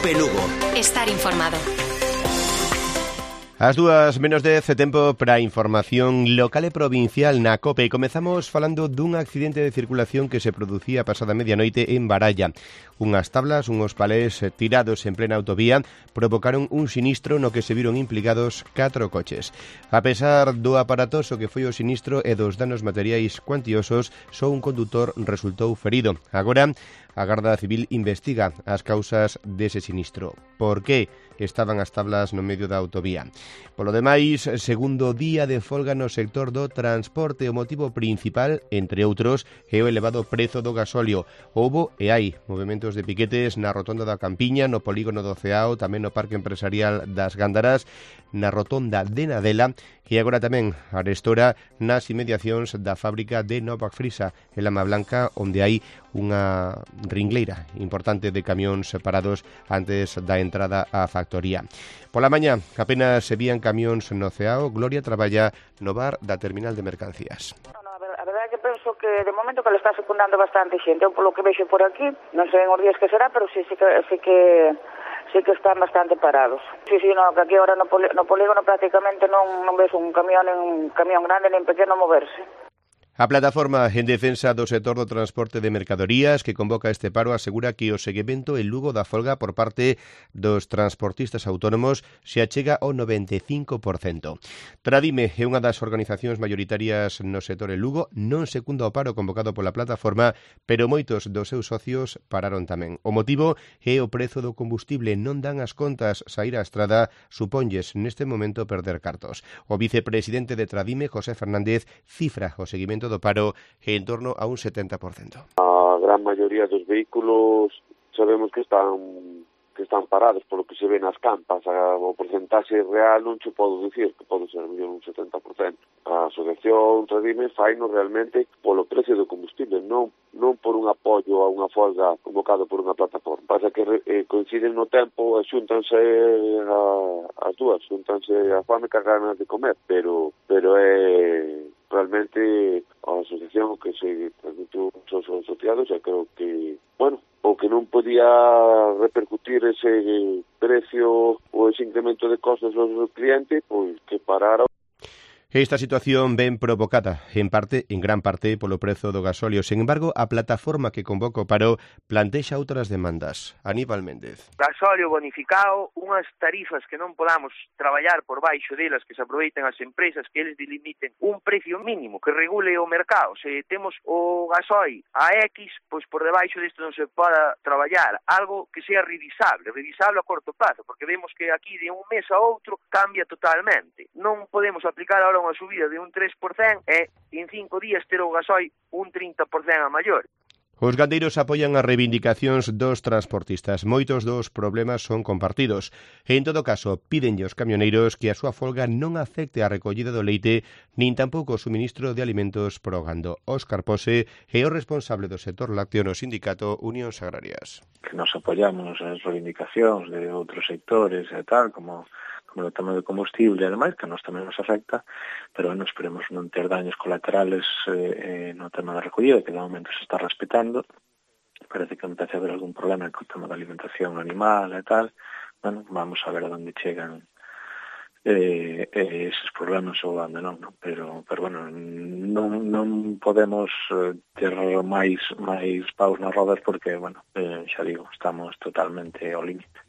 COPE Lugo. Estar informado. As 2:10, tempo para a información local e provincial na COPE. Comezamos falando dun accidente de circulación que se producía a pasada medianoite en Baralla. Unhas tablas, unhos palés tirados en plena autovía provocaron un sinistro no que se viron implicados 4 coches. A pesar do aparatoso que foi o sinistro e dos danos materiais cuantiosos, só un condutor resultou ferido. Agora, a Garda Civil investiga as causas dese sinistro. Por que estaban as tablas no medio da autovía? Polo demais, segundo día de folga no sector do transporte, o motivo principal, entre outros, é o elevado prezo do gasóleo. Houbo e hai movementos de piquetes na rotonda da Campiña, no polígono do Ceao, tamén no Parque Empresarial das Gándaras, na rotonda de Nadela e agora tamén arestora nas inmediacións da fábrica de Novak Frisa, en Lama Blanca, onde hai unha ringleira importante de camións separados antes da entrada á factoría. Pola mañá, apenas se vían camións no Ceao. Gloria traballa no bar da terminal de mercancías. A verdade é que penso que de momento que le está secundando bastante xente. Eu polo que vexo por aquí, non sei en os días que será, pero sí que están bastante parados. Sí, no, que aquí ahora no polígono prácticamente non ves un camión grande nin pequeno moverse. A plataforma en defensa do sector do transporte de mercadorías que convoca este paro asegura que o seguimento en Lugo da folga por parte dos transportistas autónomos se achega ao 95%. Tradime é unha das organizacións maioritarias no sector en Lugo, non secunda o paro convocado pola plataforma, pero moitos dos seus socios pararon tamén. O motivo é o prezo do combustible. Non dan as contas, saír á estrada suponlles neste momento perder cartos. O vicepresidente de Tradime, José Fernández, cifra o seguimento do paro en torno a un 70%. A gran maioría dos vehículos sabemos que están parados polo que se ve nas campas. O porcentaxe real non che podo dicir, que pode ser un 70%. A asociación Tradime faino realmente polo precio do combustible, non por un apoio a unha folga convocado por unha plataforma. Pasa que coinciden no tempo e xúntanse as dúas, xúntanse a fame que as ganas de comer, pero é realmente a asociación que se transmitiu os asociados, e creo que, o que non podía repercutir ese precio ou ese incremento de costos aos clientes, pois que parara. Esta situación ven provocada, en gran parte, polo prezo do gasóleo. Sen embargo, a plataforma que convoca o paro plantexa outras demandas. Aníbal Méndez. Gasóleo bonificado, unhas tarifas que non podamos traballar por baixo delas, que se aproveiten as empresas, que eles delimiten un precio mínimo que regule o mercado. Se temos o gasóleo a X, pois por debaixo disto non se poda traballar. Algo que sea revisable a corto plazo, porque vemos que aquí de un mes a outro cambia totalmente. Non podemos aplicar ahora unha subida de un 3% e en 5 días ter o gasóleo un 30% a maior. Os gandeiros apoian as reivindicacións dos transportistas. Moitos dos problemas son compartidos. En todo caso, pídenlle aos camioneiros que a súa folga non afecte a recollida do leite nin tampouco o suministro de alimentos pro gando. Óscar Pose é o responsable do sector lácteo no sindicato Unións Agrarias. Que nos apoiamos as reivindicacións de outros sectores e tal, como o tema do combustible e demais, que a nos tamén nos afecta, pero esperemos non ter daños colaterales no tema da recollida, que de momento se está respetando. Parece que empece a haber algún problema co tema da alimentación animal e tal. Vamos a ver a onde chegan eses problemas ou onde non, pero non podemos ter máis paus nas rodas porque, xa digo, estamos totalmente ao límite.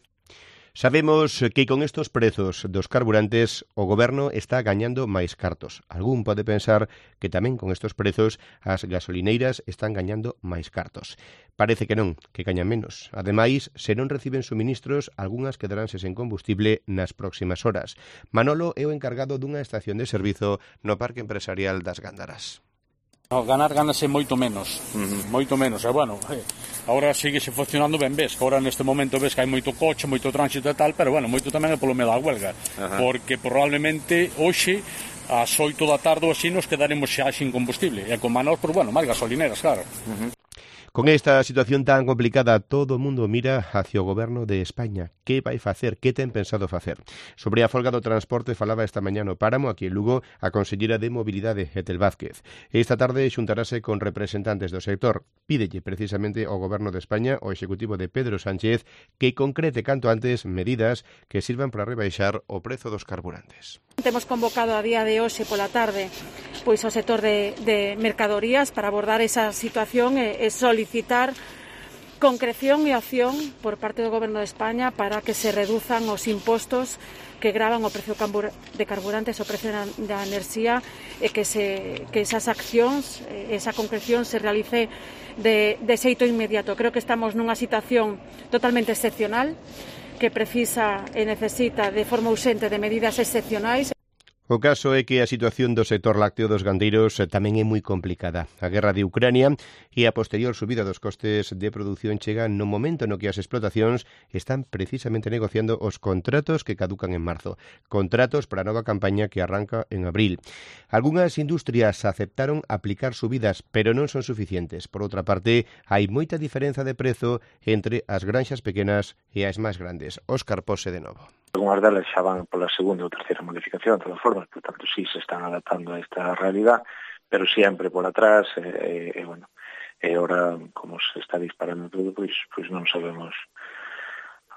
Sabemos que con estos prezos dos carburantes o goberno está gañando máis cartos. Algún pode pensar que tamén con estos prezos as gasolineiras están gañando máis cartos. Parece que non, que gañan menos. Ademais, se non reciben suministros, algunhas quedaránse sen combustible nas próximas horas. Manolo é o encargado dunha estación de servizo no Parque Empresarial das Gándaras. Ganase moito menos, moito menos, agora síguese funcionando ben, ves, que agora neste momento ves que hai moito coche, moito tránsito e tal, pero moito tamén é polo medo da huelga, porque probablemente hoxe ás 8 da tarde ou así nos quedaremos xa sin combustible, e con manos, máis gasolineras, claro. Con esta situación tan complicada, todo o mundo mira hacia o goberno de España. Que vai facer? Que ten pensado facer? Sobre a folga do transporte falaba esta mañá no Páramo, aquí en Lugo, a conselleira de Mobilidade, Ethel Vázquez. Esta tarde xuntarase con representantes do sector. Pídelle precisamente ao goberno de España, ao executivo de Pedro Sánchez, que concrete canto antes medidas que sirvan para rebaixar o prezo dos carburantes. Temos convocado a día de hoxe pola tarde pois ao sector de mercadorías para abordar esa situación e solicitar concreción e acción por parte do Goberno de España para que se reduzan os impostos que gravan o precio de carburantes, o precio da enerxía e que esas accións, esa concreción se realice de xeito inmediato. Creo que estamos nunha situación totalmente excepcional que precisa e necesita de forma urxente de medidas excepcionais. O caso é que a situación do sector lácteo dos gandeiros tamén é moi complicada. A guerra de Ucrania e a posterior subida dos costes de produción chega no momento no que as explotacións están precisamente negociando os contratos que caducan en marzo. Contratos para a nova campaña que arranca en abril. Algúnas industrias aceptaron aplicar subidas, pero non son suficientes. Por outra parte, hai moita diferenza de prezo entre as granxas pequenas e as máis grandes. Óscar Pose de novo. Algúnas delas xa van pola segunda ou terceira modificación, de todas formas, por tanto, sí se están adaptando a esta realidad, pero sempre por atrás, bueno, e ahora, como se está disparando todo, pois non sabemos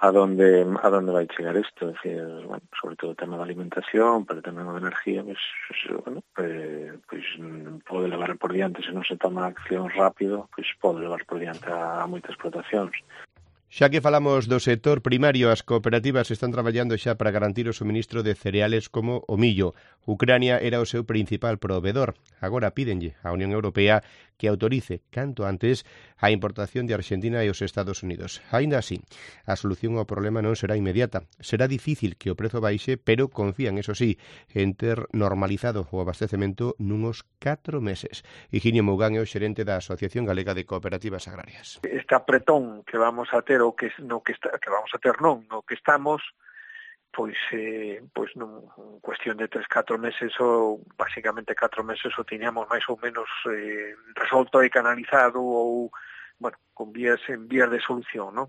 a donde vai chegar isto, é dicir, bueno, sobre todo o tema da alimentación, pero tamén a energía, pois pode levar por diante, se non se toma acción rápido, pois pode levar por diante a moitas explotacións. Xa que falamos do sector primario, as cooperativas están traballando xa para garantir o suministro de cereales como o millo. Ucrania era o seu principal proveedor. Agora pídenlle á Unión Europea que autorice canto antes a importación de Argentina e os Estados Unidos. Aínda así, a solución ao problema non será inmediata. Será difícil que o prezo baixe, pero confían, eso sí, en ter normalizado o abastecemento nunos 4 meses. Higinio Mougán é o xerente da Asociación Galega de Cooperativas Agrarias. Este apretón que vamos a ter no que estamos, pois non cuestión de 3-4 meses ou basicamente 4 meses o tiñamos máis ou menos resolto e canalizado ou, bueno, con vías de solución, non?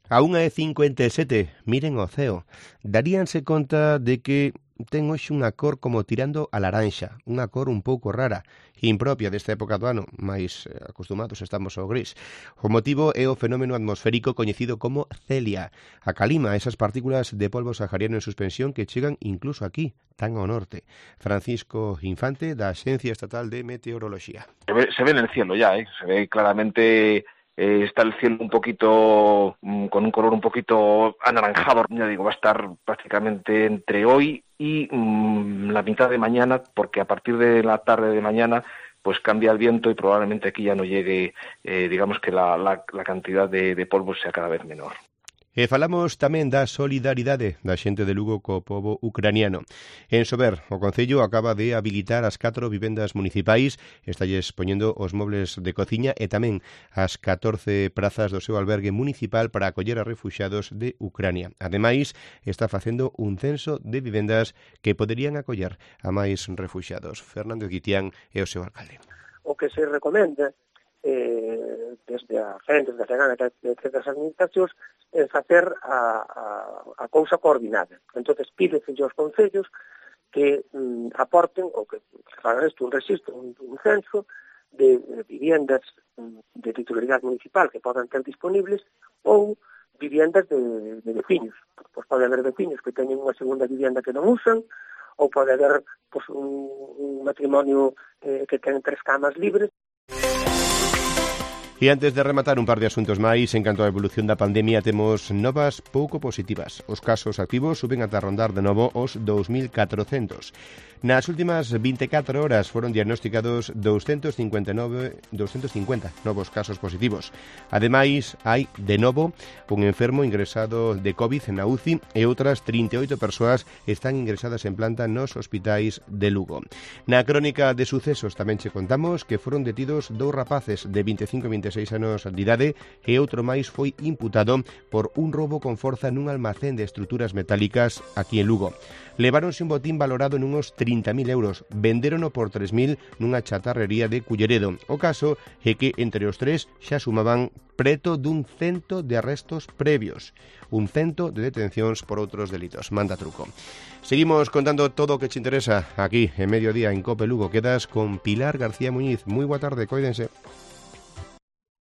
A 1:57, miren o ceo. Daríanse conta de que ten hoxe unha cor como tirando a laranxa, unha cor un pouco rara, impropia desta época do ano, máis acostumados estamos ao gris. O motivo é o fenómeno atmosférico coñecido como Celia. A calima, esas partículas de polvo sahariano en suspensión que chegan incluso aquí, tan ao norte. Francisco Infante, da Axencia Estatal de Meteoroloxía. Se ve en el cielo ya, se ve claramente. Está el cielo un poquito, con un color un poquito anaranjado, ya digo, va a estar prácticamente entre hoy y la mitad de mañana, porque a partir de la tarde de mañana pues cambia el viento y probablemente aquí ya no llegue, digamos que la cantidad de polvo sea cada vez menor. E falamos tamén da solidaridade da xente de Lugo co pobo ucraniano. En Sober, o Concello acaba de habilitar as 4 vivendas municipais, estalles poñendo os mobles de cociña e tamén as 14 prazas do seu albergue municipal para acoller a refuxiados de Ucrania. Ademais, está facendo un censo de vivendas que poderían acoller a máis refuxiados. Fernando Guitián é o seu alcalde. O que se recomenda desde a frente, desde a Segana, desde as administracións, é facer a cousa coordinada. Entonces pídese aos concellos que aporten, ou que fagan isto, un registro, un censo de viviendas de titularidade municipal que podan ter disponibles ou viviendas de veciños. Pois pode haber veciños que teñen unha segunda vivienda que non usan, ou pode haber un matrimonio que ten 3 camas libres. E antes de rematar un par de asuntos máis, en canto á evolución da pandemia, temos novas pouco positivas. Os casos activos suben ata rondar de novo os 2.400. Nas últimas 24 horas foron diagnosticados 250 novos casos positivos. Ademais, hai, de novo, un enfermo ingresado de COVID na UCI e outras 38 persoas están ingresadas en planta nos hospitais de Lugo. Na crónica de sucesos tamén che contamos que foron detidos 2 rapaces de 25 e 26 anos de idade, e outro máis foi imputado por un roubo con forza nun almacén de estruturas metálicas aquí en Lugo. Leváronse un botín valorado nunos 30.000 euros, vendérono por 3.000 nunha chatarrería de Culleredo. O caso é que entre os tres xa sumaban preto dun 100 de arrestos previos, un 100 de detencións por outros delitos. Manda truco. Seguimos contando todo o que te interesa aquí en Mediodía en COPE Lugo. Quedas con Pilar García Muñiz. Moi boa tarde, coídense.